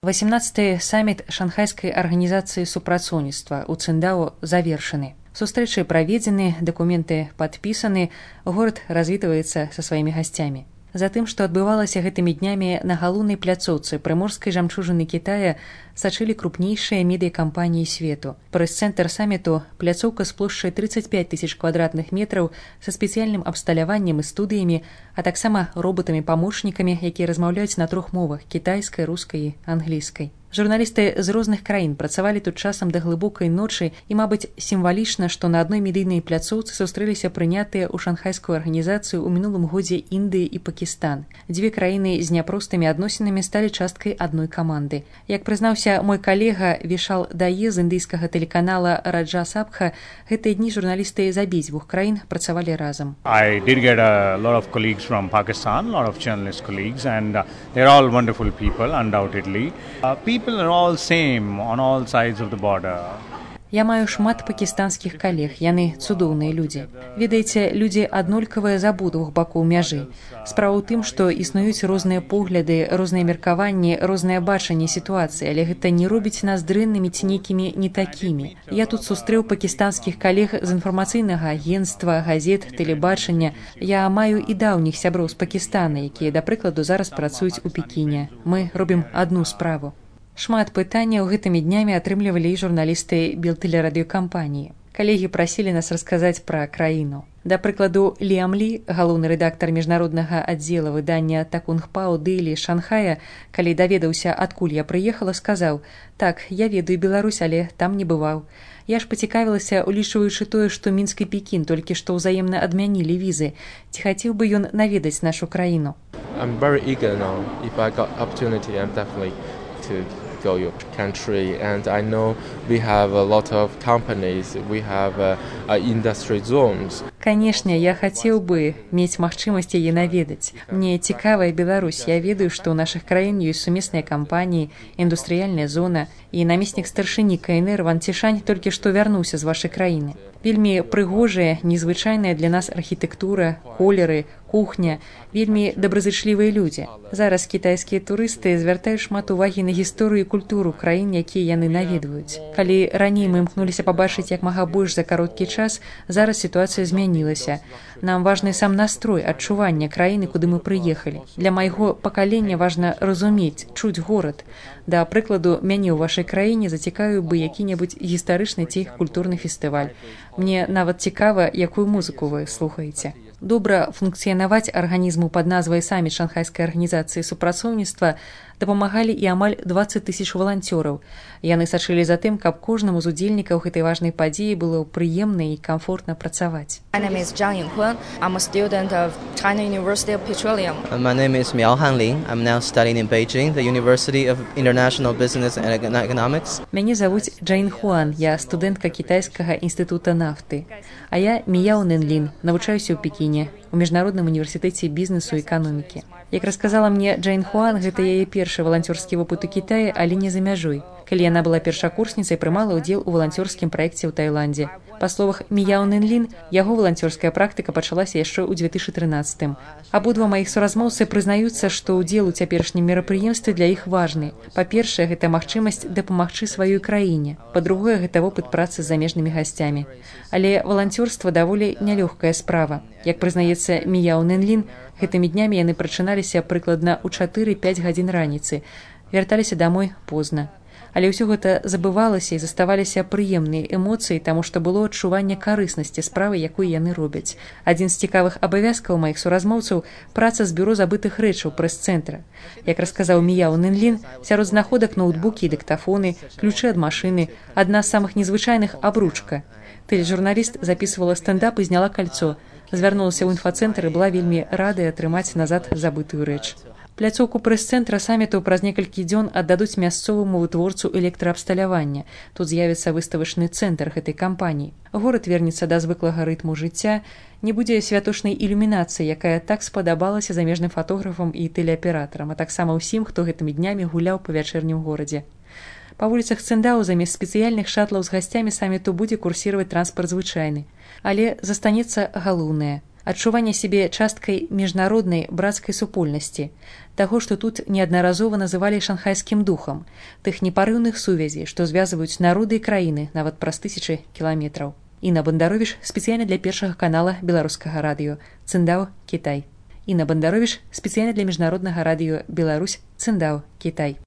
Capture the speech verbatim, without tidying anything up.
васямнаццаты саміт шанхайскай арганізацыі супрацоўніцтва ў Циндао завершаны. Сустрэчы праведзены, дакументы падпісаны, горад развітваецца са сваімі гасцямі. Затым, што адбывалася гэтымі днямі на галоўнай пляцоўцы прыморскай жамчужыны Кітая, сачылі крупнейшыя медыякампаніі свету. Прэс-цэнтр саміту – пляцоўка з плошчай трыццаць пяць тысяч квадратных метраў са спецыяльным абсталяваннем і студыямі, а таксама роботамі-памочнікамі, якія размаўляюць на трох мовах – кітайскай, рускай і англійскай. Журналісты з розных краін працавалі тут часам да глыбокай ночы і, мабыць, сімвалічна, што на адной медыйнай пляцоўцы сустрэліся прынятыя ў шанхайскую арганізацыю ў мінулым годзе Індыі і Пакістан. Дзве краіны з няпростымі адносінамі сталі часткай адной каманды. Як прызнаўся мой калега Вішал Дае з індыйскага тэлеканала Раджа Сабха, гэтыя дні журналісты з абедзвюх краін працавалі разам. I did get a lot of colleagues from Pakistan, a lot of journalist colleagues, and uh, they're all wonderful people, undoubtedly. Uh, People are all same on all sides of the border. Я маю шмат пакістанскіх калег, яны цудоўныя людзі. Ведаеце, людзі аднолькавыя з абодвух бакоў мяжы. Справа ў тым, што існуюць розныя погляды, розныя меркаванні, рознае бачанне сітуацыі, але гэта не робіць нас дрэннымі ці нейкімі не такімі. Я тут сустрэў пакістанскіх калег з інфармацыйнага агенцтва, газет, тэлебачання. Я маю і даўніх сяброў з Пакістана, якія, да прыкладу, зараз працуюць у Пекіне. Мы робім адну справу. Шмат пытанняў гэтымі днямі атрымлівалі і журналісты белтэлерадыёкампаніі. Калегі прасілі нас расказаць пра краіну. Да прыкладу, Ліам Лі, галоўны рэдактар міжнароднага аддзела выдання Такунгпао Дэйлі Шанхая, калі даведаўся, адкуль я прыехала, сказаў: «Так, я ведаю Беларусь, але там не бываў. Я ж пацікавілася, улічваючы тое, што Мінск і Пекін толькі што ўзаемна адмянілі візы. Ці хацеў бы ён наведаць нашу краіну?» I'm very eager now. If I got opportunity, I'm definitely to go your country, and I know we have a lot of companies, we have uh, uh, industry zones. Канешне, я хацеў бы мець магчымасць яе наведаць. Мне цікавая Беларусь. Я ведаю, што ў нашых краін ёсць сумесныя кампаніі, індустрыяльная зона, і намеснік старшыні ка эн эр Ван Цішань толькі што вярнуўся з вашай краіны. Вельмі прыгожая, незвычайная для нас архітэктура, колеры, кухня, вельмі добразычлівыя людзі. Зараз кітайскія турысты звяртаюць шмат увагі на гісторыю і культуру краін, якія яны наведваюць. Калі раней мы імкнуліся пабачыць як мага больш за кароткі час, зараз сітуацыя змянілася. Нам важны сам настрой, адчуванне краіны, куды мы прыехалі. Для майго пакалення важна разумець, чуць горад. Да прыкладу, мяне ў вашай краіне зацікавіў бы які-небудзь гістарычны ці культурны фестываль. Мне нават цікава, якую музыку вы слухаеце. Добра функцыянаваць арганізму пад назвай саміт шанхайскай арганізацыі супрацоўніцтва дапамагалі і амаль дваццаць тысяч валанцёраў. Яны сачылі за тым, каб кожнаму з удзельнікаў гэтай важнай падзеі было прыемна і камфортна працаваць. My name is Zhang Yinghuan. I'm a student of China University of Petroleum. My name is Miao Hanling. I'm now studying in Beijing, the University of International Business and Economics. Мяне завуць Джайн Хуан. Я студэнтка кітайскага інстытута нафты. А я Мияо Нэнлин, навучаюся ў Пекіне, у міжнародным універсітэце бізнесу і эканомікі. Як расказала мне Джайн Хуан, гэта яе першы валанцёрскі вопыт у Кітаі, але не за мяжой. Калі яна была першакурсніцай, прымала ўдзел у валанцёрскім праекце ў Таіландзе. Па словах Мияо Нэнлин, яго валанцёрская практыка пачалася яшчэ ў дзве тысячы трынаццатым. Абодва маіх суразмоўцы прызнаюцца, што ўдзел у цяперашнім мерапрыемстве для іх важны. Па-першае, гэта магчымасць дапамагчы сваёй краіне. Па-другое, гэта вопыт працы з замежнымі гасцямі. Але валанцёрства даволі нялёгкая справа. Як прызнаецца Мияо Нэнлин, гэтымі днямі яны прачыналіся прыкладна ў чатыры-пяць гадзін раніцы. Вярталіся дамой позна. Але ўсё гэта забывалася і заставаліся прыемныя эмоцыі, таму што было адчуванне карыснасці справы, якую яны робяць. Адзін з цікавых абавязкаў маіх суразмоўцаў – праца з бюро забытых рэчаў прэс-цэнтра. Як расказаў Мияо Нэнлин, сярод знаходак ноутбукі і дыктафоны, ключы ад машыны, адна з самых незвычайных – абручка. Тэлежурналіст запісывала стендап і зняла кальцо. Звярнулася ў інфацэнтр і была вельмі радая атрымаць назад забытую рэч. Пляцоўку прэс-цэнтра саміту праз некалькі дзён аддадуць мясцоваму вытворцу электраабсталявання. Тут з'явіцца выставачны цэнтр гэтай кампаніі. Горад вернецца да звыклага рытму жыцця, не будзе святочнай ілюмінацыі, якая так спадабалася замежным фатографам і тэлеаператарам, а таксама ўсім, хто гэтымі днямі гуляў па вячэрнім горадзе. Па вуліцах Циндао замест спецыяльных шатлаў з гасцямі саміту будзе курсіраваць транспарт звычайны. Але застанецца галоўнае – адчування сябе часткай міжнароднай брацкай супольнасці, таго, што тут неаднаразова называлі шанхайскім духам, тых непарыўных сувязей, што звязваюць народы і краіны нават праз тысячы кіламетраў. Інна Бандаровіч спецыяльна для першага канала беларускага радыё Циндао, Кітай. Інна Бандаровіч спецыяльна для міжнароднага радыё Беларусь, Циндао, Кітай.